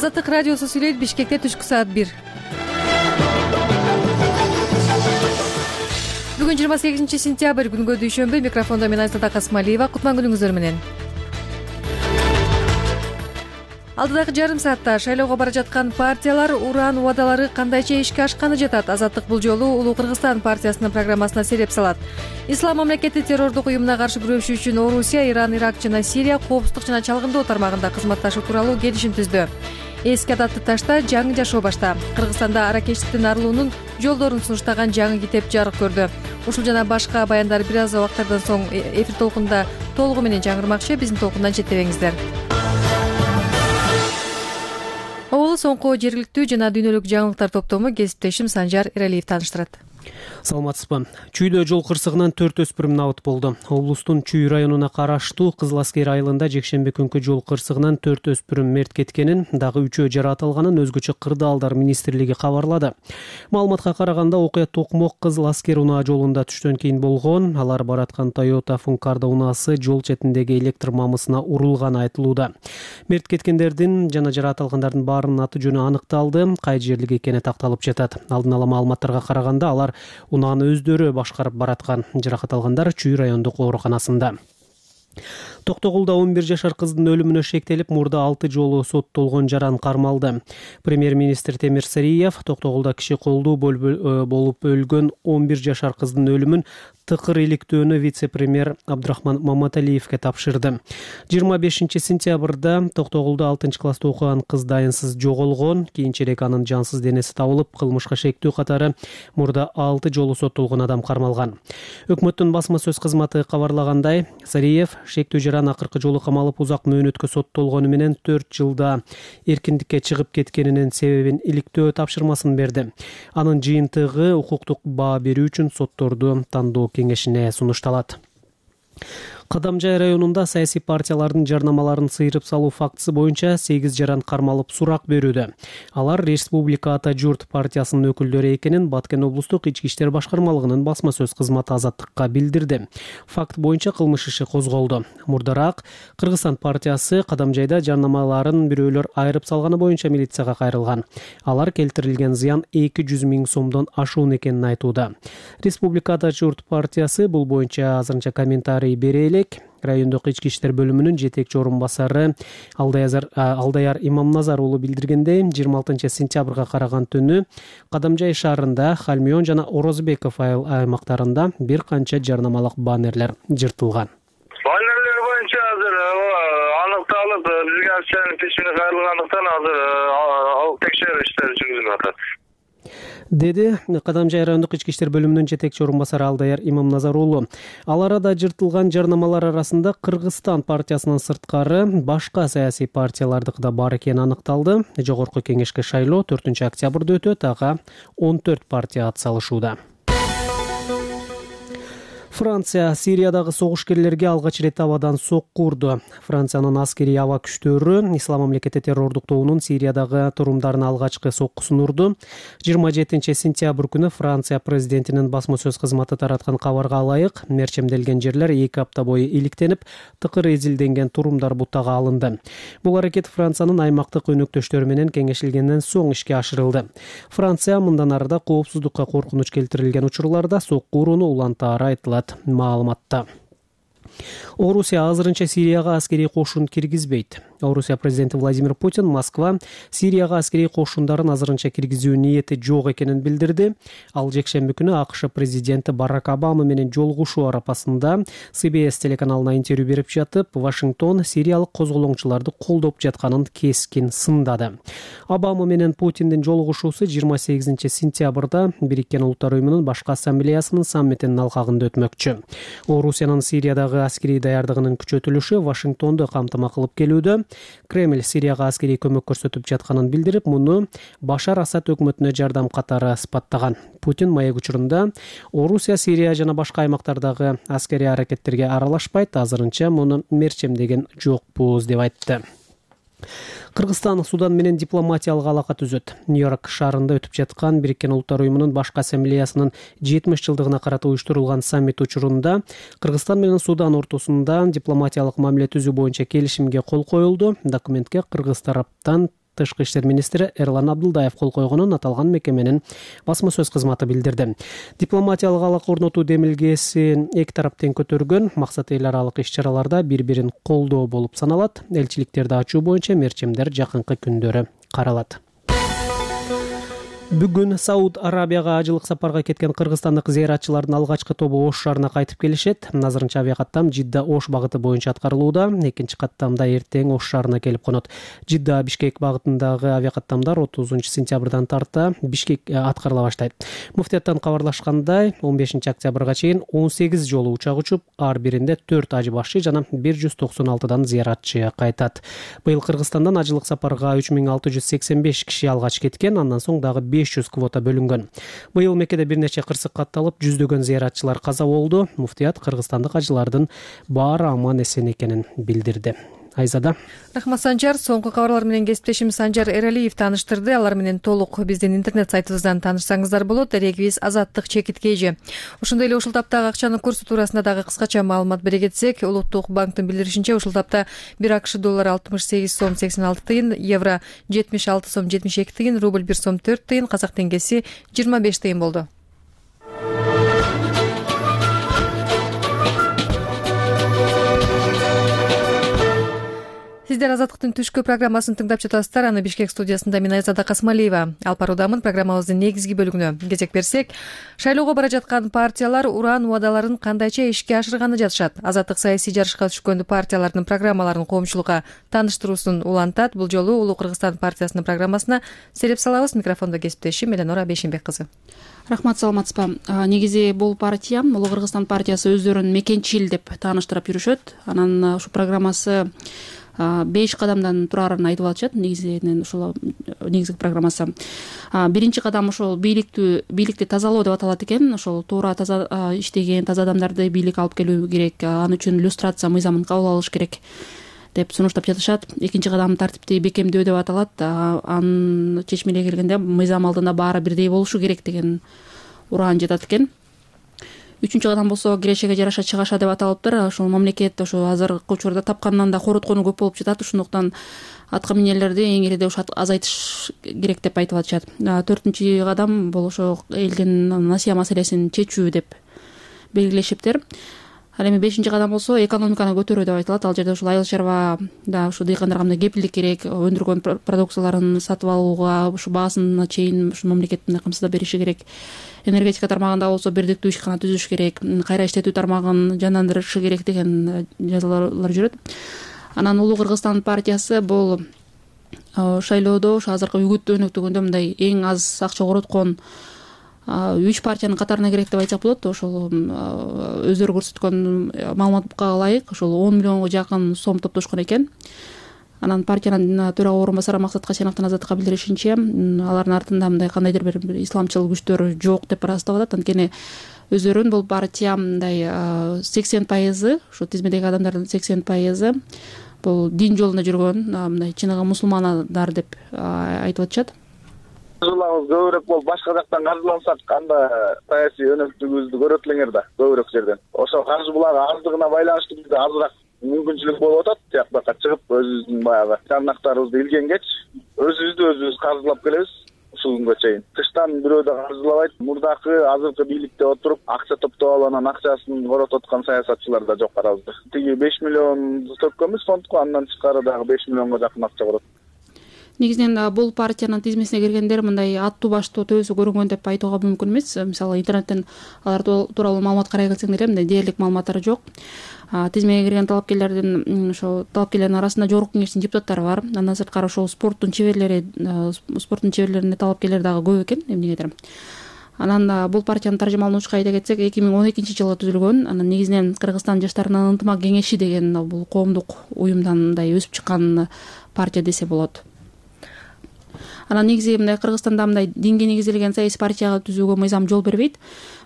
Азаттык радиосу сүйлөйт. Бишкекте түшкү саат 1. Бүгүн 28-сентябрь күнгө дүйшөмбү. Микрофондо мен Айсата Касмалиева. Кутман күнүңүздөр менен. Алдыдагы жарым саатта шайлоого бара жаткан партиялар уран убадалары кандайча ишке ашканы жатат. Азаттык бул жолу Улуу Кыргызстан партиясынын программасына сереп салат. Ислам мамлекети террордук уюмуна каршы күрөшүү үчүн Орусия, Иран, Ирак жана Сирия коопсуздук жана чалгындоо тармагында кызматташуу тууралуу келишим түздү. Эски адатты ташта жаңы жашоо башта. Кыргызстанда аракечтиктин арылуунун жолдорун сунуштаган жаңы китеп жарык көрдү. Ушул жана башка баяндар бир аз убакыттардан соң эфир толкунда толугу менен жаңырмакчы. Биздин толкундан четтебеңиздер. Оболу соңку жергиликтүү жана дүйнөлүк жаңылыктар топтому кесиптешим Санжар Эралиев тааныштырат. Саламатсызбы. Чүйдө жол кырсыгынан 4 өспүрүм набыт болду. Облустун Чүй районуна караштуу Кызыл Аскер айылында жекшемби күнкү жол кырсыгынан 4 өспүрүм мерт кеткенин, дагы 3-өө жаратылганын өзгөчө кырдаалдар министрлиги кабарлады. Маалыматка караганда окуя Токмок Кызыл Аскер унаа жолунда түштөн кийин болгон. Алар бараткан Toyota Funcarda унаасы жол четиндеги электр мамысына урулганы айтылууда. Мерт кеткендердин жана жаратылгандардын баарынын аты жөнү аныкталды. Кай жерлик экени такталып жатат. Алдын ала маалыматтарга караганда алар унааны өздөрү башкарып бараткан. Жаракат алгандар Чүй райондук ооруканасында. Токтогулда 11 жашар кыздын өлүмүнө шектелип, мурда 6 жолу соттолгон жаран кармалды. Премьер-министр Темир Сариев Токтогулда киши колдуу болуп өлгөн 11 жашар кыздын өлүмүн тыкыр иликтөөнү вице-премьер Абдрахман Маматалиевге тапшырды. 25-сентябрда Токтогулда 6-класста окуган кыз дайынсыз жоголгон. Кийинчерээк анын жансыз денеси табылып, кылмышка шектүү катары мурда 6 жолу соттолгон адам кармалган. Өкмөттүн басма сөз кызматы кабарлагандай, Сариев шектүү жаран акыркы жолу камалып узак мөөнөткө соттолгону менен 4 жылда эркиндикке чыгып кеткенинин себебин иликтөө тапшырмасын берди. Анын жыйынтыгы укуктук баа берүү үчүн сотторду тандоо кеңешине сунушталат. Кадамжай районунда саясий партиялардын жарнамаларын сыйрып салуу фактысы боюнча 8 жаран кармалып сурак берүүдө. Алар Республика Ата Журт партиясынын өкүлдөрү экенин Баткен облустук ички иштер башкармалыгынын басма сөз кызматы Азаттыкка билдирди. Факт боюнча кылмыш иши козголду. Мурдараак Кыргызстан партиясы Кадамжайда жарнамаларын бирөөлөр айрып салганы боюнча милицияга кайрылган. Алар келтирилген зыян 200 000 сомдон ашуун экенин айтууда. Республика Ата Журт партиясы бул боюнча азырынча комментарий бере элек. Райондук ички иштер бөлүмүнүн жетекчи орун басары Алдаяр Имамназар уулу билдиргендей, 26-сентябрга караган түнү Кадамжай шаарында Халмион жана Орозбеков аймактарында бир канча жарнамалык баннерлер жыртылган. Баннерлер боюнча азыр аныкталып, бизге акчанын пешине кайрылгандыктан азыр текшерүү иштери жүргүзүлүп атат, деди Кадамжай райондук ички иштер бөлүмүнүн жетекчи орун басары Алдаяр Имамназар уулу. Ал арада жыртылган жарнамалар арасында Кыргызстан партиясынан сырткары башка саясий партиялардыкы да бар экени аныкталды. Жогорку кеңешке шайлоо 4-октябрда өтөт, ага 14 партия ат салышууда. Франция Сириядагы согушкерлерге алгач ирет абадан сокку урду. Франциянын аскерий аба күчтөрү Ислам мамлекети террордук тобунун Сириядагы турумдарына алгачкы соккусун урду. 27-сентябрь күнү Франция президентинин басма сөз кызматы тараткан кабарга ылайык, мерчемделген жерлер 2 апта бою иликтенип, тыкыр эзилденген турумдар бутага алынды. Бул аракет Франциянын аймактык өнөктөштөрү менен кеңешилгенден соң ишке ашырылды. Франция мындан арыда коопсуздукка коркунуч келтирилген учурларда сокку урууну улантаары айтылат. Маалыматта Орусия азырынча Сирияга аскерий кошун киргизбейт. Орусия президенти Владимир Путин Москва Сирияга аскерий кошундарын азырынча киргизүү ниети жок экенин билдирди. Ал жекшемби күнү АКШ президенти Барак Обама менен жолугушуу арапасында CBS телеканалына интервью берип жатып, Вашингтон сириялык козголоңчуларды колдоп жатканын кескин сындады. Обама менен Путиндин жолугушуусу 28-сентябрда Бириккен Улуттар уюмунун башкы ассамблеясынын саммитинин алкагында өтмөкчү. Орусиянын Сириядагы аскерий даярдыгынын күчөтүлүшү Вашингтонду камтама кылып келүүдө. Кремль Сирияга аскерий көмөк көрсөтүп жатканын билдирип, муну Башар Асад өкмөтүнө жардам катары сыпаттаган. Путин маек учурунда Орусия Сирия жана башка аймактардагы аскерий аракеттерге аралашпайт, азырынча муну мерчемдеген жокпуз деп айтты. Кыргызстан Судан менен дипломатиялык алака түзөт. Нью-Йорк шаарында өтүп жаткан Бириккен Улуттар уюмунун башкы ассамблеясынын 70 жылдыгына карата уюштурулган саммит учурунда Кыргызстан менен Судан ортосунда дипломатиялык мамиле түзүү боюнча келишимге кол коюлду. Документке кыргыз тараптан Тышкы иштер министри Эрлан Абдылдаев кол койгонун аталган мекеменин басма сөз кызматы билдирди. Дипломатиялык алак орнотуу демилгесин эки тарап тең көтөргөн, максаты эл аралык иш-чараларда бири-бирин колдоо болуп саналат. Элчиликтерди ачуу боюнча мерчемдер жакынкы күндөрү каралат. Бүгүн Сауд Арабияга ажылык сапарга кеткен кыргызстандык зыяратчылардын алгачкы тобу Ош шаарына кайтып келишет. Азырынча авиакаттам Жидда Ош багыты боюнча аткарылууда. Экинчи каттамда эртең Ош шаарына келип конот. Жидда Бишкек багытындагы авиакаттамдар 30-сентябрдан тарта Бишкек аткарыла баштайт. Муфтияттан кабарлашкандай, 15-октябрга чейин 18 жолу учак учуп, ар биринде 4 ажы башчы жана 196дан зыяратчы кайтат. Быйыл Кыргызстандан ажылык сапарга 3685 киши алгач кеткен, андан соң дагы 500 квота бөлүнгөн. Быйыл Меккеде бир нече кырсык катталып, жүздөгөн зыяратчылар каза болду. Муфтият кыргызстандык ажылардын баары аман эсен экенин билдирди. Айзада. Рахмат Санжар. Соңку кабарлар менен кесиптешим Санжар Эралиев тааныштырды. Алар менен толук биздин интернет сайтыбыздан таанышсаңыздар болот. Дарегибиз Азаттык чекиткейжи. Ошондой эле ушул таптагы акчанын курсу туурасында дагы кыскача маалымат бере кетсек, Улуттук банктын билдиришинче ушул тапта 1 АКШ доллары 68 сом 86 тыйын, евро 76 сом 72 тыйын, рубль 1 сом 4 тыйын, казак теңгеси 25 тыйын болду. Сиздер Азаттыктын түшкү программасын тыңдап жатасыздар. Аны Бишкек студиясында мен Айзада Касмалиева алып баруудамын. Программабыздын негизги бөлүгүнө кезек берсек, шайлоого бара жаткан партиялар уран убадаларын кандайча ишке ашырганы жатышат. Азаттык саясий жарышка түшкөн партиялардын программаларын коомчулукка тааныштыруусун улантат. Бул жолу Улуу Кыргызстан партиясынын программасына сереп салабыз. Микрофондо кесиптешим Эленора Бешимбек кызы. Рахмат, саламатсызбы. Негизи бул партия Улуу Кыргызстан партиясы өздөрүн мекенчил деп тааныштырып жүрүшөт. Анан ушу программасы 5 кадамдан турарын айтып атышат. Негизинен ушул негизги программасы. Биринчи кадам ошол бийликти тазалоо деп аталат экен. Ошол туура таза иштеген таза адамдарды бийлик алып келүү керек. Аны үчүн иллюстрация мыйзамын кабыл алыш керек деп сунуштап жатышат. Экинчи кадам тартипти бекемдөө деп аталат. Анын чечмеге келгенде мыйзам алдында баары бирдей болушу керек деген ураан жатат экен. Үчүнчү кадам болсо кирешеге жараша чыгаша деп аталыптыр. Ошол мамлекет ошо азыркы учурда тапкандан да короткону көп болуп жатат. Ошондуктан атка минерлерди эң ириде азайтыш керек деп айтып атышат. Төртүнчү кадам бул ошо элдин насыя маселесин чечүү деп белгилешиптир. Ал эми 5-чи кадам болсо экономиканы көтөрүү деп айтылат. Ал жерде ушул айыл чарбада ушу дыйкандарга мындай кепилдик керек, өндүргөн продукцияларын сатып алууга ушу баасына чейин ушу мамлекет мындай камсыздап бериши керек. Энергетика тармагында болсо бирдиктүү ишкана түзүш керек, кайра иштетүү тармагын жандандырышы керек деген жазуулар жүрөт. Анан Улуу Кыргызстан партиясы бул шайлоодо ушу азыркы үгүт өнөктүгүндө мындай эң аз акча короткон 3 партиянын катарына кирет деп айтсак болот. Ошол өздөрү көрсөткөн маалыматка ылайык ошол 10 миллионго жакын сом топтошкон экен. Анан партиянын төрага орун басары Максат Касеновдун Азаттыкка билдиришинче, алардын артында мындай кандайдыр бир исламчыл күчтөр жок деп ырастап атат. Анткени өздөрүн бул партия мындай 80% ушу тизмедеги адамдардын 80% бул дин жолунда жүргөн мындай чыныгы мусулмандар деп айтып атышат. Каржылабыз көбүрөөк болуп башка жактан каржылансак анда саясий өнөктүгүбүздү көрөт элеңер да көбүрөөк жерден. Ошо каржы булагы аздыгына байланыштуу бизде азыраак мүмкүнчүлүк болуп атат. Тияк жакка чыгып өзүбүздүн баягы карнактарыбызды илгенгеч өзүбүз каржылап келебиз ушул күнгө чейин. Тыштан бирөө да каржылабайт. Мурдакы азыркы бийликте отуруп акча топтоп алып анан акчасын коротуп аткан саясатчылар да жок арабызда. Тиги 5 миллион төккөнбүз фондко, андан тышкары дагы 5 миллионго жакын акча корот. Негизинен бул партиянын тизмесине киргендер мындай аттуу баштуу төбөсү көрүнгөн деп айтууга мүмкүн эмес. Мисалы интернеттен алар тууралуу маалымат карай келсең деле мындай дээрлик маалыматтар жок. Тизмеге кирген талапкерлердин ошо талапкерлердин арасында жогорку кеңештин депутаттары бар. Андан сырткары ошол спорттун чеберлерине талапкерлер дагы көп экен эмнегедир. Анан бул партиянын таржымалануучу айта кетсек 2012-жылы түзүлгөн. Анан негизинен Кыргызстан жаштарынын ынтымак кеңеши деген бул коомдук уюмдан мындай өсүп чыккан партия десе болот. Анан негизи мындай Кыргызстанда мындай динге негизделген саясий партия түзүүгө мыйзам жол бербейт.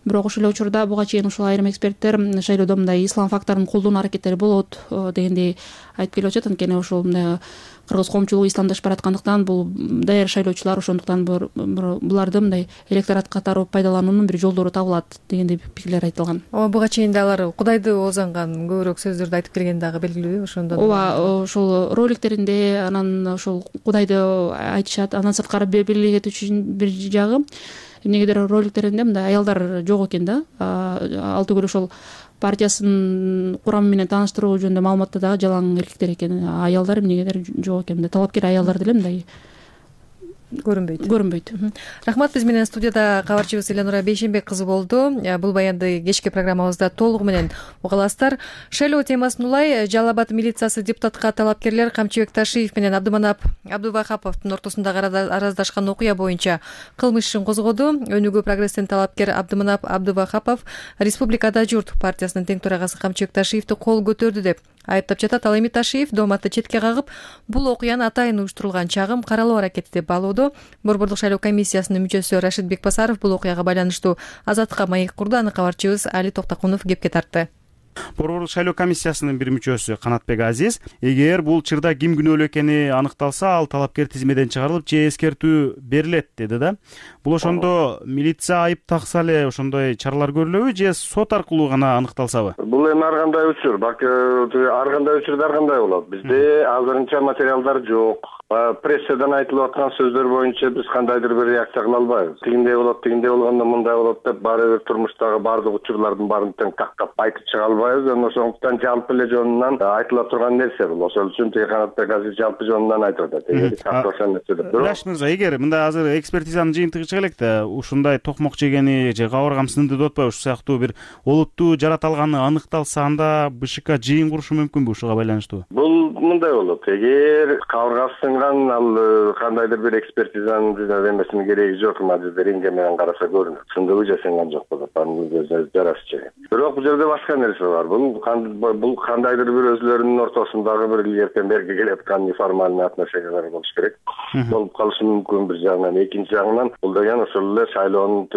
Бирок ошол эле учурда буга чейин ушул айрым эксперттер шайлоодо мындай ислам факторун колдонуу аракеттери болот дегендей айтып келип атышат. Анткени ошол мындай кыргыз коомчулугу исламдашып бараткандыктан бул даяр шайлоочулар ошондуктан буларды мындай электорат катары пайдалануунун бир жолдору табылат дегендей пикирлер айтылган. Ооба, буга чейин да алар Кудайды оозанган көбүрөөк сөздөрдү айтып келгени дагы белгилүүбү ошондон. Ооба, ошол роликтеринде анан ошол Кудайды айтышат. Андан сырткары белгилей кетүүчү бир жагы эмнегедир роликтеринде мындай аялдар жок экен да. Ал түгүл ошол партиясынын курамы менен тааныштыруу жөнүндө маалыматта дагы жалаң эркектер экен. Аялдар эмнегедир жок экен. Талапкер аялдар деле мындай көрүнбөйт. Рахмат. Биз менен студияда кабарчыбыз Элянура Бейшенбек кызы болду. Бул баянды кечки программабызда толугу менен уга аласыздар. Шайлоо темасын улай Жалал Абад милициясы депутатка талапкерлер Камчыбек Ташиев менен Абдыманап Абдувахаповдун ортосундагы араздашкан окуя боюнча кылмыш ишин козгоду. Өнүгүү прогресстен талапкер Абдыманап Абдувахапов Республикада журт партиясынын тең төрагасы Камчыбек Ташиевди кол көтөрдү деп айыптап жатат. Ал эми Ташиев дооматты четке кагып, бул окуяны атайын уюштурулган чагым каралоо аракети деп баалоодо. Борбордук шайлоо комиссиясынын мүчөсү Рашид Бекбасаров бул окуяга байланыштуу Азаттыкка маек курду. Аны кабарчыбыз Али Токтокунов кепке тартты. Борбордук шайлоо комиссиясынын бир мүчөсү Канатбек Азиз эгер бул чырда ким күнөөлүү экени аныкталса, ал талапкер тизмеден чыгарылып же эскертүү берилет деди да. Бул ошондо милиция айып такса эле ошондой чаралар көрүлөбү же сот аркылуу гана аныкталсабы? Бул эми ар кандай учур, балки ар кандай учурда ар кандай болот. Бизде азырынча материалдар жок. Прессадан айтылып аткан сөздөр боюнча биз кандайдыр бир реакция кыла албайбыз. Тигиндей болот, тигиндей болгондо мындай болот деп баары бир турмуштагы баардык учурлардын баарын тең тактап айтып чыга албайбыз. Ошондуктан жалпы эле жонунан айтыла турган нерсе бул. Ошол үчүн Канатбек Азиз жалпы жонунан айтып атат. Раш мырза, эгер мындай азыр экспертизанын жыйынтыгы чыга электе, ушундай токмок жегени же кабыргам сынды деп атпайбы, ушул сыяктуу бир олуттуу жараталганы аныкталса, анда БШК жыйын курушу мүмкүнбү ушуга байланыштуу? Бул мындай болот. Эгер кабыргасы сынган, ал кандайдыр бир экспертизанын эмесинин кереги жок. Рентген менен караса көрүнөт. Сындыбы же сынган жок болот. Анын жарасы чек. Бирок бул жерде башка нерсе бар. Бул кандайдыр бир өзлөрүнүн ортосундагы бир эртең берги келаткан неформальный отношениялар болуш керек. Болуп калышы мүмкүн бир жагынан. Экинчи жагынан бул деген ошол эле шайлоонун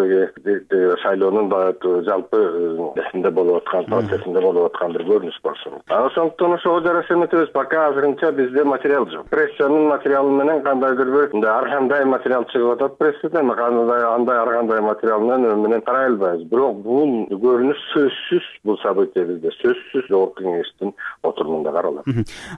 жалпы эсинде болуп аткан процессинде болуп аткан бир көрүнүш болсун. Ошондуктан ошого жараша эметебиз. Пока азырынча бизде материал жок. Прессанын материалы менен кандайдыр бир ар кандай материал чыгып атат прессадан, ар кандай материал менен карай албайбыз. Бирок бул көрүнүш сөзсүз бул события бизде сөзсүз жогорку кеңештин отурумунда каралат.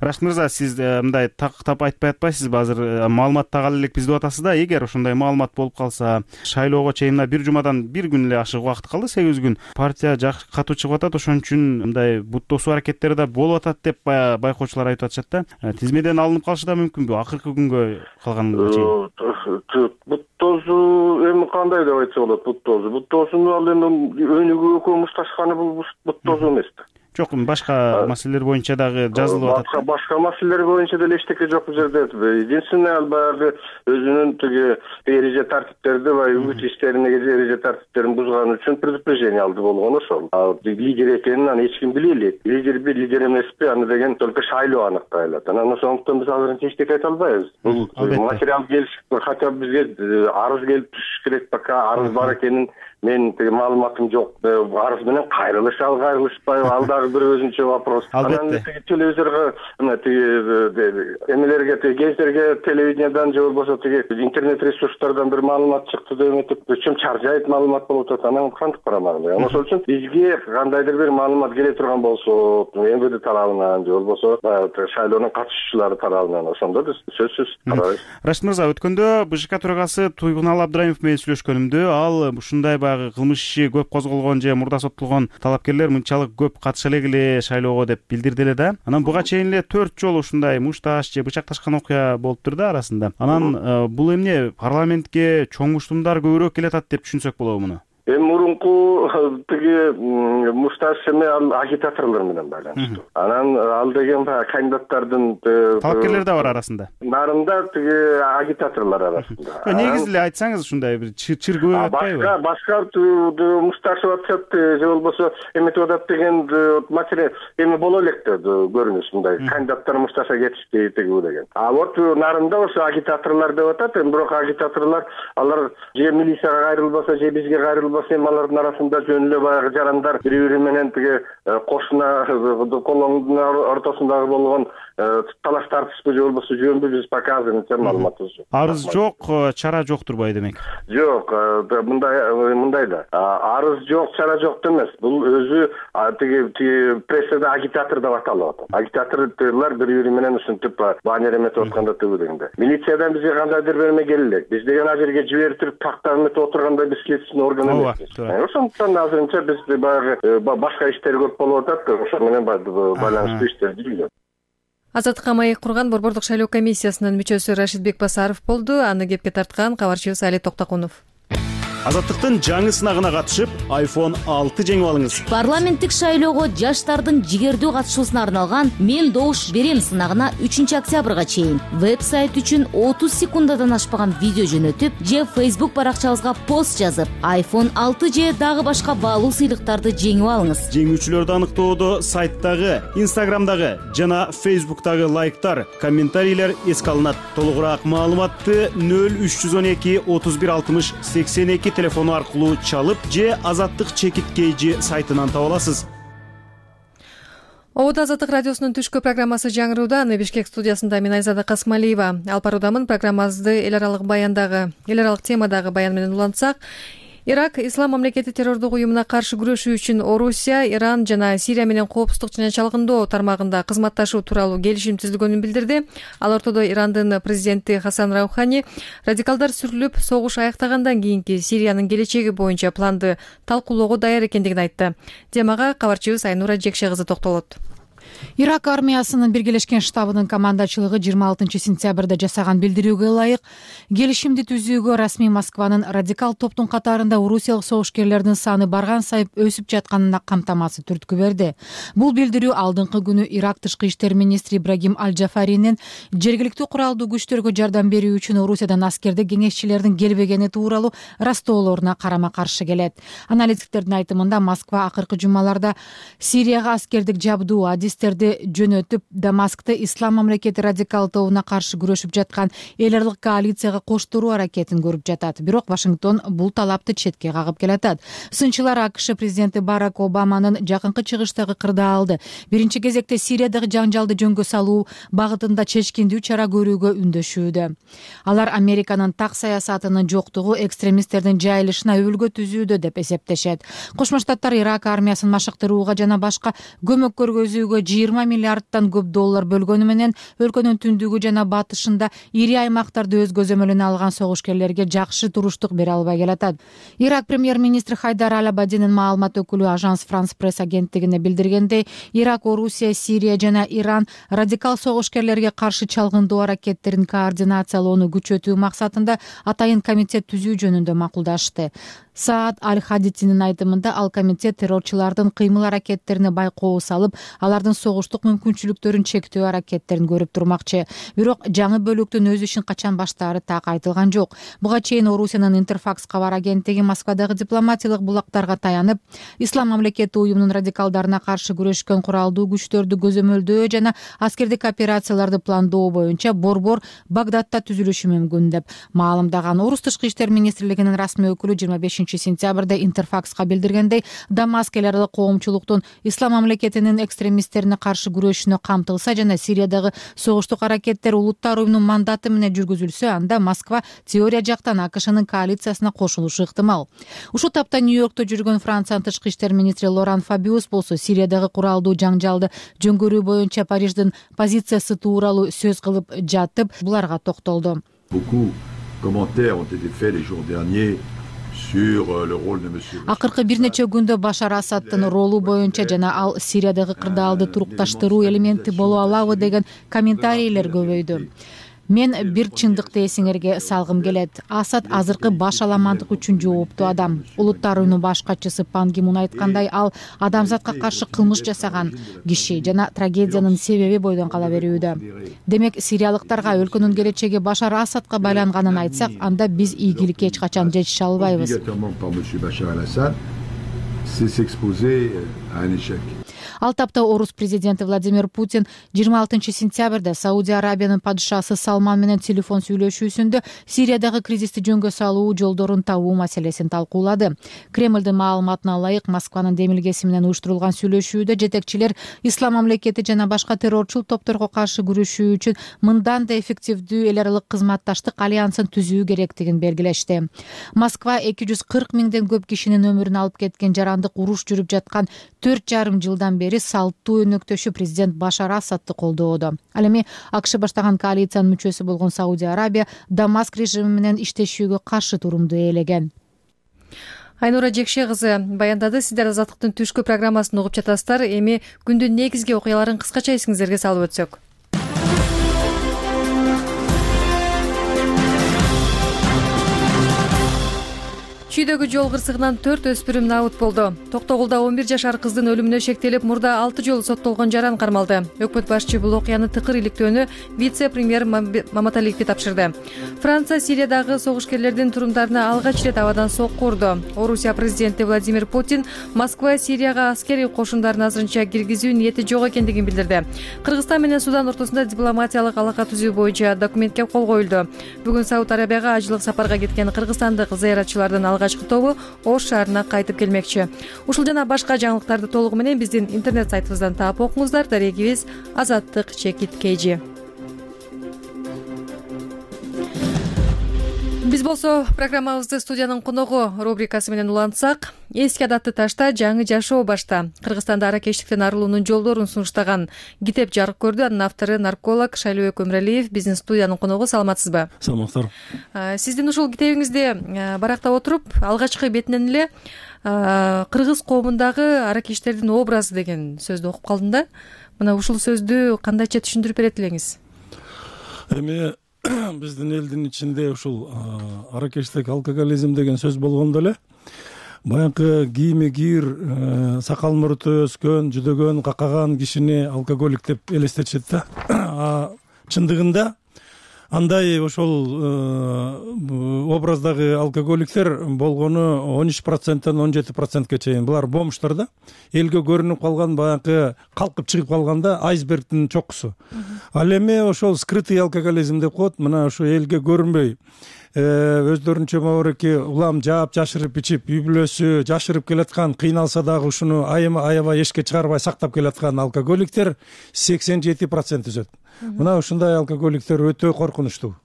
Рашид мырза, сиз мындай тактап айтпай атпайсызбы? Азыр маалымат так элек биз деп атасыз да. Эгер ошондой маалымат болуп калса, шайлоого чейин мына бир жумадан бир күн эле ашык убакыт калды, 8 күн. Партия катуу чыгып атат, ошон үчүн мындай бут тосуу аракеттери да болуп атат деп байкоочулар айтып атышат да. Тизмеден алынып калышы да мүмкүнбү акыркы күнгө калганга чейин? Бут тоосу эми кандай деп айтса болот? Бут тоосуну ал эми өнүгүүгө комушташканы бул бут тоосу эмес да. Жок, башка маселелер боюнча дагы жазылып атат. Башка маселелер боюнча деле эчтеке жок бул жерде. Единственное, ал баягы өзүнүн тиги эреже тартиптерди ва үмүт иштерине эреже тартиптерин бузган үчүн предупреждение алды болгон ошол. Лидер экенин аны эч ким биле элек. Лидер эмеспи, аны деген только шайлоо аныктай алат. Анан ошондуктан биз азырынча эчтеке айта албайбыз. Бул материал келиш, хотя бизге арыз келип түшүш керек, пока арыз бар экенин мен маалыматым жок. Арыз менен кайрылыш ал кайрылышпайбы, ал дагы бир өзүнчө вопрос. Анан телевизорго эмелерге, гезитерге, телевидениедан же болбосо интернет ресурстардан бир маалымат чыкты деп эметип, чым чаржайт маалымат болуп атат. Анан кантип карамак? Ошол үчүн бизге кандайдыр бир маалымат келе турган болсо, МВД тарабынан же болбосо шайлоонун катышуучулары тарабынан, ошондо биз сөзсүз карайбыз. Рашид мырза, өткөндө БШК төрагасы Туйгунал Абдраимов менен сүйлөшкөнүмдө, ал ушундай кылмыш иши көп козголгон же мурда соттолгон талапкерлер мынчалык көп катыша эле шайлоого деп билдирди эле да. Анан буга чейин эле 4 жолу ушундай мушташ же бычакташкан окуя болуптур да арасында. Анан бул эмне парламентке чоң муштумдар көбүрөөк келатат деп түшүнсөк болобу муну? Эми мурунку тиги мушташ эме ал агитаторлор менен байланыштуу. Анан ал деген кандидаттардын талапкерлер да бар арасында. Нарында тиги агитаторлор арасында. Негизи эле айтсаңыз ушундай бир чыр көбөйүп атпайбы? Башка мушташып атышат же болбосо эметип атат деген маселе эми боло элек да көрүнүш мындай кандидаттар мушташа кетишти тиги деген. А вот нарында ошо агитаторлор деп атат. Эми бирок агитаторлор алар же милицияга кайрылбаса, же бизге кайрылбаса, эми алардын арасында жөн эле баягы жарандар бири-бири менен тиги кошуна колоңдун ортосундагы болгон талаш тартышпы же болбосо жөнбү биз пока азырынча маалыматыбыз жок. Арыз жок, чара жок турбайбы демек? Жок, мындай да. Арыз жок, чара жок эмес. Бул өзү тиги прессада агитатор деп аталып атат. Агитаторлор бири-бири менен ушинтип баннер эметип атканда тыгы дегенде. Милициядан бизге кандайдыр берме келелек. Биз деген ал жерге жибертип тактап эметип отурганда биз следственный орган эмеспиз. Ошондуктан азырынча биз баягы башка иштер көп болуп атат. Ошо менен байланыштуу иштер жүргүзөт. Азаттыкка маек курган Борбордук шайлоо комиссиясынын мүчөсү Рашидбек Басаров болду. Аны кепке тарткан кабарчыбыз Али Токтокунов. Азаттыктын жаңы сынагына катышып, iPhone 6 жеңип алыңыз. Парламенттик шайлоого жаштардын жигердүү катышуусуна арналган «Мен добуш берем» сынагына 3 октябрга чейин веб-сайт үчүн 30 секундадан ашпаган видео жөнөтүп, же Facebook баракчабызга пост жазып, iPhone 6 же дагы башка баалуу сыйлыктарды жеңип алыңыз. Жеңүүчүлөрдү аныктоодо сайттагы, Instagramдагы жана Facebook'тагы лайктар, комментарийлер эске алынат. Толугураак маалыматты 0312 31 60 82 телефону аркылуу чалып же Азаттык чекит кейжи сайтынан таба аласыз. Обод Азаттык радиосунун түшкү программасы жаңырууда. Аны Бишкек студиясында мен Айзада Касмалиева алып баруудамын. Программабызды эл аралык темадагы баян менен улантсак, Ирак Ислам мамлекети террордук уюмуна каршы күрөшүү үчүн Орусия, Иран жана Сирия менен коопсуздук жана чалгындоо тармагында кызматташуу тууралуу келишим түзүлгөнүн билдирди. Ал ортодо Ирандын президенти Хасан Раухани радикалдар сүрүлүп, согуш аяктагандан кийинки Сириянын келечеги боюнча планды талкуулоого даяр экендигин айтты. Темага кабарчыбыз Айнура Жекше кызы токтолот. Ирак армиясынын биргелешкен штабынын командачылыгы 26-сентябрда жасаган билдирүүгө ылайык келишимди түзүүгө расмий Москванын радикал топтун катарында орусиялык согушкерлердин саны барган сайып өсүп жатканына камтамасыз түрткү берди. Бул билдирүү алдыңкы күнү Ирак тышкы иштер министри Ибрагим Аль-Джафаринин жергиликтүү куралдуу күчтөргө жардам берүү үчүн Орусиядан аскердик кеңешчилердин келбегени тууралуу растоолоруна карама-каршы келет. Аналитиктердин айтымында Москва акыркы жумаларда Сирияга аскердик жабдуу адистерди жөнөтүп, Дамаскты Ислам мамлекети радикал тобуна каршы күрөшүп жаткан эл аралык коалицияга коштуруу аракетин көрүп жатат. Бирок Вашингтон бул талапты четке кагып келатат. Сынчылар АКШ президенти Барак Обаманын жакынкы чыгыштагы кырдаалды биринчи кезекте Сириядагы жаңжалды жөнгө салуу багытында чечкиндүү чара көрүүгө үндөшүүдө. Алар Американын так саясатынын жоктугу экстремисттердин жайылышына өбөлгө түзүүдө деп эсептешет. Кошмо Штаттар Ирак армиясын машыктырууга жана башка көмөк көргөзүүгө 20 миллиардтан көп доллар бөлгөнү менен өлкөнүн түндүгү жана батышында ири аймактарды өз көзөмөлүнө алган согушкерлерге жакшы туруштук бере албай келатат. Ирак премьер-министри Хайдар Аль-Абадинин маалымат өкүлү Ажанс Франс пресс агенттигине билдиргендей, Ирак, Орусия, Сирия жана Иран радикал согушкерлерге каршы чалгындоо аракеттерин координациялоону күчөтүү максатында атайын комитет түзүү жөнүндө макулдашты. Саад Аль-Хадитинин айтымында ал комитет террорчулардын кыймыл аракеттерине байкоо салып, алардын согуштук мүмкүнчүлүктөрүн чектөө аракеттерин көрүп турмакчы. Бирок жаңы бөлүктүн өз ишин качан баштаары так айтылган жок. Буга чейин Орусиянын Интерфакс кабар агенттиги Москвадагы дипломатиялык булактарга таянып, Ислам мамлекети уюмунун радикалдарына каршы күрөшкөн куралдуу күчтөрдү көзөмөлдөө жана аскердик операцияларды пландоо боюнча борбор Багдадта түзүлүшү мүмкүн деп маалымдаган. Орус тышкы иштер министрлигинин расмий өкүлү 25-сентябрда Интерфакска билдиргендей, Дамаск эл аралык коомчулуктун Ислам мамлекетинин экстремисттерине каршы күрөшүүнө камтылса жана Сириядагы согуштук аракеттер улуттар уюмунун мандаты менен жүргүзүлсө, анда Москва теория жактан АКШнын коалициясына кошулушу ыктымал. Ушул тапта Нью-Йоркто жүргөн Франциянын тышкы иштер министри Лоран Фабиус болсо Сириядагы куралдуу жаңжалды жөнгөрүү боюнча Париждин позициясы тууралуу сөз кылып жатып, буларга токтолду. Акыркы бир нече күндө Башар Асадтын ролу боюнча жана ал Сириядагы кырдаалды турукташтыруу элементи боло алабы деген комментарийлер көбөйдү. Мен бир чындыкты эсиңерге салгым келет. Асад азыркы баш аламандык үчүн жооптуу адам. Улуттар уюму баш катчысы Пан Ги Мун айткандай, ал адамзатка каршы кылмыш жасаган киши жана трагедиянын себеби бойдон кала берүүдө. Демек, сириялыктарга өлкөнүн келечеги Башар Асадка байланганын айтсак, анда биз ийгиликке эч качан жетише албайбыз. Ал тапта орус президенти Владимир Путин 26 сентябрда Саудия Арабиянын падышасы Салман менен телефон сүйлөшүүсүндө Сириядагы кризисти жөнгө салуу жолдорун табуу маселесин талкуулады. Кремлдин маалыматына ылайык, Москванын демилгеси менен уюштурулган сүйлөшүүдө жетекчилер ислам мамлекети жана башка террорчул топторго каршы күрөшүү үчүн мындан да эффективдүү эл аралык кызматташтык альянсын түзүү керектигин белгилешти. Москва 240 миңден көп кишинин өмүрүн алып кеткен жарандык уруш жүрүп жаткан 4,5 жылдан бери салттуу өнөктөшү президент Башар Асадты колдоодо. Ал эми АКШ баштаган коалициянын мүчөсү болгон Саудия Арабия Дамаск режими менен иштешүүгө каршы турумду ээлеген. Айнура Жекше кызы баяндады. Сиздер Азаттыктын түшкү программасын угуп жатасыздар. Эми күндүн негизги окуяларын кыскача эсиңиздерге салып өтсөк. Чүйдөгү жол кырсыгынан 4 өспүрүм набыт болду. Токтогулда 11 жашар кыздын өлүмүнө шектелип, мурда 6 жолу соттолгон жаран кармалды. Өкмөт башчы бул окуяны тыкыр иликтөөнү вице-премьер Маматалиевге тапшырды. Франция Сириядагы согушкерлердин турумдарына алгач ирет абадан сокку урду. Орусия президенти Владимир Путин Москва Сирияга аскерий кошундарын азырынча киргизүү ниети жок экендигин билдирди. Кыргызстан менен Судан ортосунда дипломатиялык алака түзүү боюнча документке кол коюлду. Бүгүн Сауд Арабияга ажылык сапарга кеткен кыргызстандык зыяратчылардын алгачкы тобу Ош шаарына кайтып келмекчи. Ушул жана башка жаңылыктарды толугу менен биздин интернет сайтыбыздан таап окуңуздар. Дарегибиз @azattik_kg. Биз болсо программабызды студиянын коногу рубрикасы менен улантсак, эски адатты ташта жаңы жашоо башта. Кыргызстанда аракечтиктен арылуунун жолдорун сунуштаган китеп жарык көрдү. Анын автору нарколог Шайлообек Өмүралиев биздин студиянын коногу. Саламатсызбы? Саламаттар. Сиздин ушул китебиңизди барактап отуруп, алгачкы бетинен эле кыргыз коомундагы аракечтердин образы деген сөздү окуп калдым да. Мына ушул сөздү кандайча түшүндүрүп берет элеңиз? Эми биздин элдин ичинде ушул аракечтик алкоголизм деген сөз болгондо эле баягы кийими кийир, сакал муруту өскөн, жүдөгөн, какаган кишини алкоголик деп элестетишет да. Чындыгында андай ошол образдагы алкоголиктер болгону 13%тан 17%ке чейин. Булар бомжтар да. Элге көрүнүп калган баягы калкып чыгып калганда айсбергдин чокусу. Ал эми ошол скрытый алкоголизм деп коет. Мына ушу элге көрүнбөй өздөрүнчө мабареки улам жаап жашырып ичип, үй бүлөсү жашырып келаткан, кыйналса дагы ушуну аябай эшикке чыгарбай сактап келаткан алкоголиктер 87% түзөт. Мына ушундай алкоголиктер өтө коркунучтуу.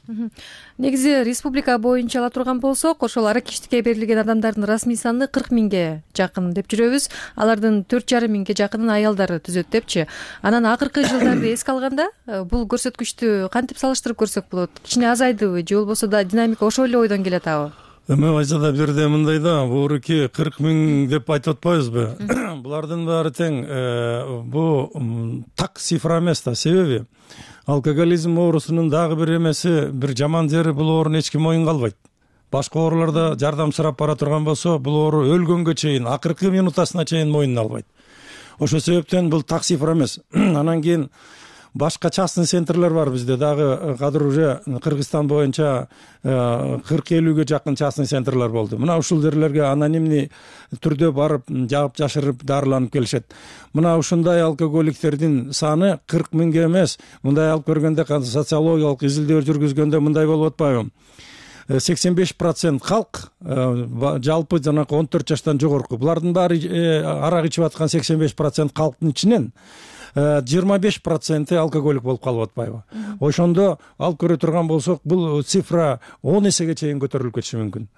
Негизи республика боюнча ала турган болсок, ошол аракечтикке берилген адамдардын расмий саны 40 миңге жакын деп жүрөбүз. Алардын 4,5 миңге жакынын аялдары түзөт депчи. Анан акыркы жылдарды эске алганда, бул көрсөткүчтү кантип салыштырып көрсөк болот? Кичине азайдыбы же болбосо да динамика ошол эле ойдон келатабы? Эми айзада бирде мындай да, буурки 40 миң деп айтып атпайбызбы? Булардын баары тең бу так цифра эмес да. Себеби алкоголизм оорусунун дагы бир эмеси, бир жаман жери, бул оорун эч ким моюнга албайт. Башка ооруларда жардам сурап бара турган болсо, бул оору өлгөнгө чейин, акыркы минутасына чейин моюнуна албайт. Ошол себептен бул так цифра эмес. Анан кийин башка частный центрлер бар бизде дагы, азыр уже Кыргызстан боюнча 40-50ге жакын частный центрлер болду. Мына ушул жерлерге анонимный түрдө барып, жаап жашырып дарыланып келишет. Мына ушундай алкоголиктердин саны 40 миңге эмес, мындай алып көргөндө, социологиялык изилдөө жүргүзгөндө мындай болуп атпайбы? 85% халк жалпы жанагы 14 жаштан жогорку. Булардын баары арак ичип аткан 85% халктын ичинен 25% алкоголик болуп калып атпайбы? Ошондо алып көрө турган болсок, бул цифра 10 эсеге чейин көтөрүлүп кетиши мүмкүн.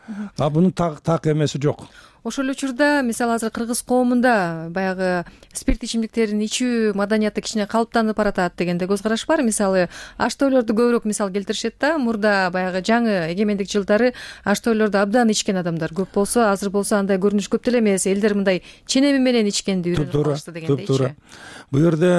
Бунун так эмеси жок. Ошол учурда, мисалы, азыр кыргыз коомунда баягы спирт ичимдиктерин ичүү маданияты кичине калыптанып баратат дегенде көз караш бар. Мисалы, аш-тойлорду көбүрөөк мисал келтиришет да. Мурда баягы жаңы эгемендик жылдары аш-тойлорду абдан ичкен адамдар көп болсо, азыр болсо андай көрүнүш көп деле эмес. Элдер мындай ченеми менен ичкенди үйрөнүп калышты дегендейчи. Бул жерде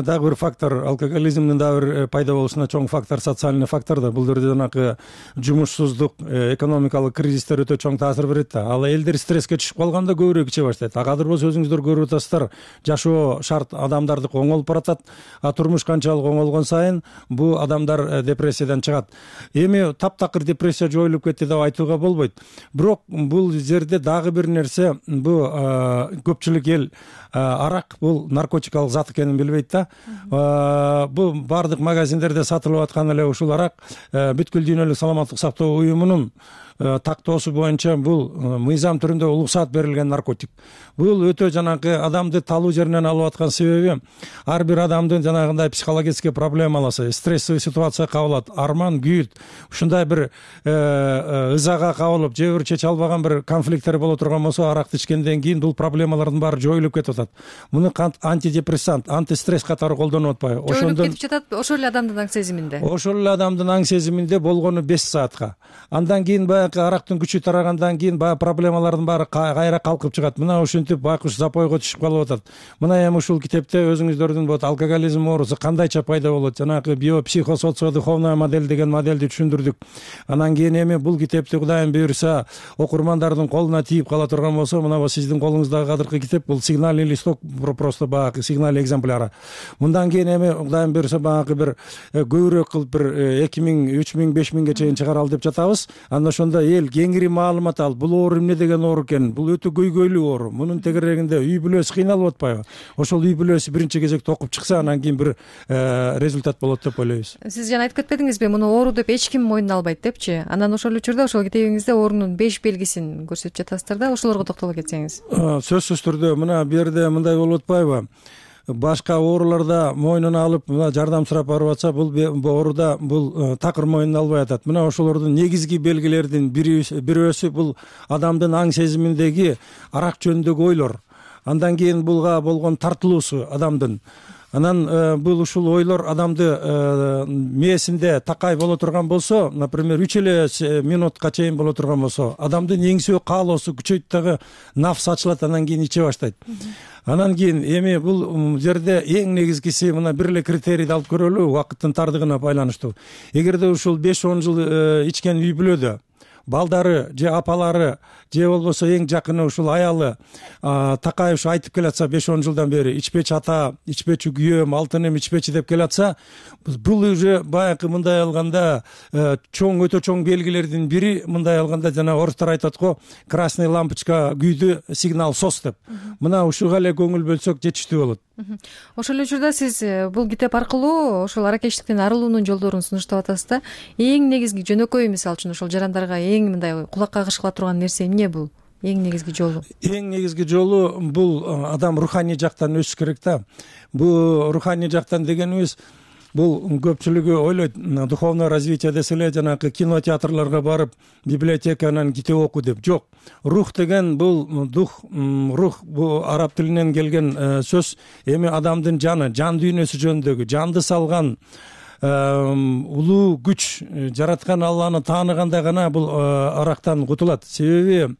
дагы бир фактор, алкоголизмдин дагы бир пайда болушуна чоң фактор социальный фактор да. Бул жерде жанагы жумушсуздук, экономикалык кризистер өтө чоң таасир берет да. Ал элдер стресске түшүп калганда көбүрөөк иче баштайт. Азыр болсо өзүңүздөр көрүп атасыздар, жашоо шарт адамдардыкы оңолуп баратат. Турмуш канчалык оңолгон сайын бул адамдар депрессиядан чыгат. Эми таптакыр депрессия жоюлуп кетти деп айтууга болбойт. Бирок бул жерде дагы бир нерсе, бул көпчүлүк эл арак бул наркотикалык зат экенин билбейт да. Бул бардык магазиндерде сатылып аткан эле ушул арак бүткүл дүйнөлүк саламаттык сактоо уюмунун тактоосу боюнча бул мыйзам түрүндө уруксат берилген наркотик. Бул өтө жанагы адамды талуу жеринен алып аткан себеби ар бир адамдын жанагындай психологический проблемаласы, стрессовый ситуацияга кабылат, арман, күйүт, ушундай бир ызага кабылып, же бир чече албаган бир конфликттер боло турган болсо, аракты ичкенден кийин бул проблемалардын баары жоюлуп кетип атат. Муну антидепрессант, антистресс катары колдонуп атпайбы? Жоюлуп кетип жатат ошол эле адамдын аң сезиминде. Ошол эле адамдын аң сезиминде болгону 5 саатка. Андан кийин арактын күчү тарагандан кийин баягы проблемалардын баары кайра калкып чыгат. Мына ушинтип байкуш запойго түшүп калып атат. Мына эми ушул китепте өзүңүздөрдүн вот алкоголизм оорусу кандайча пайда болот, жанагы биопсихосоциодуховная модель деген модельди түшүндүрдүк. Анан кийин эми бул китепти Кудайым буйруса окурмандардын колуна тийип кала турган болсо, мына сиздин колуңуздагы азыркы китеп бул сигнальный листок, просто баягы сигнальный экземпляр. Мындан кийин эми Кудайым буйруса баягы бир көбүрөөк кылып бир 2000, 3000, 5000ге чейин чыгаралы деп жатабыз. Андан ошондо эл кеңири маалымат алып, бул оору эмне деген оору экен, бул өтө көйгөйлүү оору. Мунун тегерегинде үй бүлөсү кыйналып атпайбы? Ошол үй бүлөсү биринчи кезекте окуп чыкса, анан кийин бир результат болот деп ойлойбуз. Сиз жана айтып кетпедиңизби, муну оору деп эч ким мойнуна албайт депчи? Анан ошол учурда ошол китебиңизде оорунун 5 белгисин көрсөтүп жатасыздар да, ошолорго токтоло кетсеңиз. Сөзсүз түрдө мына бу жерде мындай болуп атпайбы? Башка ооруларда мойнуна алып, мына жардам сурап барып атса, бул ооруда бул такыр мойнуна албай атат. Мына ошолордун негизги белгилеринин бирөөсү бул адамдын аң сезиминдеги арак жөнүндөгү ойлор. Андан кийин булга болгон тартылуусу адамдын. Анан бул ушул ойлор адамды мээсинде такай боло турган болсо, например, 3 эле минутка чейин боло турган болсо, адамдын эңсөө каалоосу күчөйт дагы, нафс ачылат, анан кийин иче баштайт. Анан кийин эми бул жерде эң негизгиси мына бир эле критерийди алып көрөлү, убакыттын тардыгына байланыштуу. Эгерде ушул 5-10 жыл ичкен үй бүлөдө балдары же апалары же болбосо эң жакыны ушул аялы такай ушу айтып келатса 5-10 жылдан бери ичпечи ата, ичпечи күйөөм, алтыным ичпечи деп келатса, бул уже баягы мындай алганда чоң, өтө чоң белгилердин бири, мындай алганда жана орустар айтат го, красный лампочка күйдү, сигнал сос деп. Мына ушуга эле көңүл бөлсөк жетиштүү болот. Ошол эле учурда сиз бул китеп аркылуу ошол аракечтиктен арылуунун жолдорун сунуштап атасыз да. Эң негизги жөнөкөй, мисалы үчүн ошол жарандарга эң мындай кулакка кыш кыла турган нерсе эмне бул? Эң негизги жолу? Эң негизги жолу бул адам руханий жактан өсүш керек да. Бул руханий жактан дегенибиз, бул көпчүлүгү ойлойт, духовное развитие десе эле жанагы кинотеатрларга барып, библиотеканан китеп оку деп. Жок. Рух деген бул рух бул араб тилинен келген сөз. Эми адамдын жаны, жан дүйнөсү жөнүндөгү, жанды салган улуу күч, жараткан Алланы тааныганда гана бул арактан кутулат. Себеби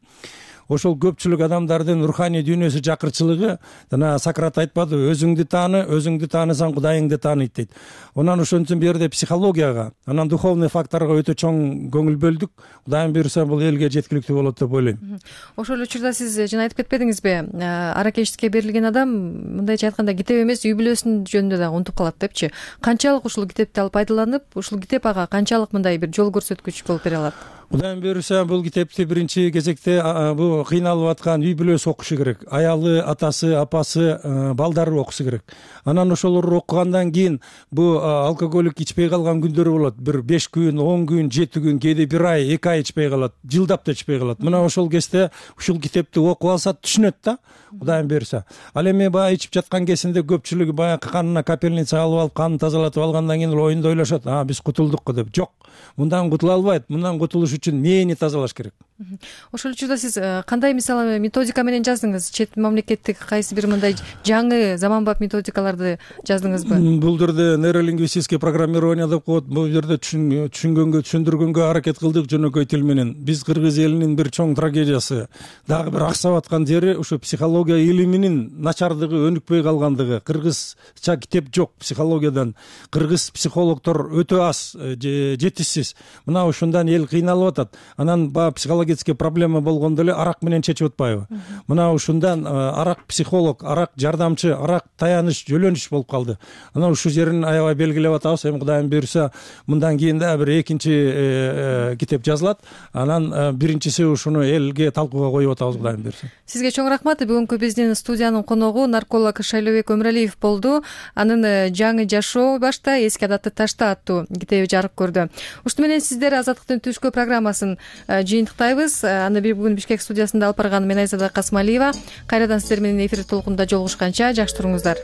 ошол көпчүлүк адамдардын руханий дүйнөсү жакырчылыгы, жана Сократ айтпады, өзүңдү таанысаң Кудайыңды тааныйт дейт. Онан ошон үчүн бу жерде психологияга, анан духовный факторго өтө чоң көңүл бөлдүк. Кудайым буйруса бул элге жеткиликтүү болот деп ойлойм. Ошол учурда сиз жана айтып кетпедиңизби, аракечтикке берилген адам мындайча айтканда китеп эмес, үй бүлөсүнүн жөнүндө да унутуп калат депчи. Канчалык ушул китепти алып пайдаланып, ушул китеп ага канчалык мындай бир жол көрсөткүч болуп бере алат? Кудайым буйруса бул китепти биринчи кезекте бул кыйналып аткан үй бүлөсү окушу керек. Аялы, атасы, апасы, балдары окусу керек. Анан ошолор окугандан кийин бу алкоголик ичпей калган күндөрү болот. Бир 5 күн, 10 күн, 7 күн, кээде 1 ай, 2 ай ичпей калат, жылдап да ичпей калат. Мына ошол кезде ушул китепти окуп алса түшүнөт да, Кудайым буйруса. Ал эми баягы ичип жаткан кезинде көпчүлүгү баягы канына капельница алып канын тазалатып алгандан кийин оюнда ойлошот, биз кутулдук деп. Жок. Мындан кутула албайт. Мындан кутулуш үчүн мээни тазалаш керек. Ошол учурда сиз кандай мисалы методика менен жаздыңыз? Чет мамлекеттик кайсы бир мындай жаңы заманбап методикаларды жаздыңызбы? Бул жерде нейролингвистический программирование деп коет. Бул жерде түшүндүргөнгө аракет кылдык жөнөкөй тил менен. Биз кыргыз элинин бир чоң трагедиясы, дагы бир аксап аткан жери ушу психология илиминин начардыгы, өнүкпөй калгандыгы. Кыргызча китеп жок психологиядан. Кыргыз психологдор өтө аз, жетишсиз. Мына ушундан эл кыйналып атат. Анан баягы психологический проблема болгондо эле арак менен чечип атпайбы? Мына ушундан арак психолог, арак жардамчы, арак таяныч, жөлөнүш болуп калды. Анан ушу жерин аябай белгилеп атабыз. Эми Кудайым буйруса, мындан кийин да бир экинчи китеп жазылат. Анан биринчиси ушуну элге талкууга коюп атабыз, Кудайым буйруса. Сизге чоң рахмат. Бүгүнкү биздин студиянын коногу нарколог Шайлообек Өмүралиев болду. Анын жаңы жашоо башта, эски адатты ташта аттуу китеби жарык көрдү. Ушуну менен сиздер Азаттыктын түшкү программасын жыйынтыктайбыз. Аны бүгүн Бишкек студиясында алып барган мен Айзада Касмалиева. Кайрадан сиздер менен эфир толкунда жолугушканча жакшы туруңуздар.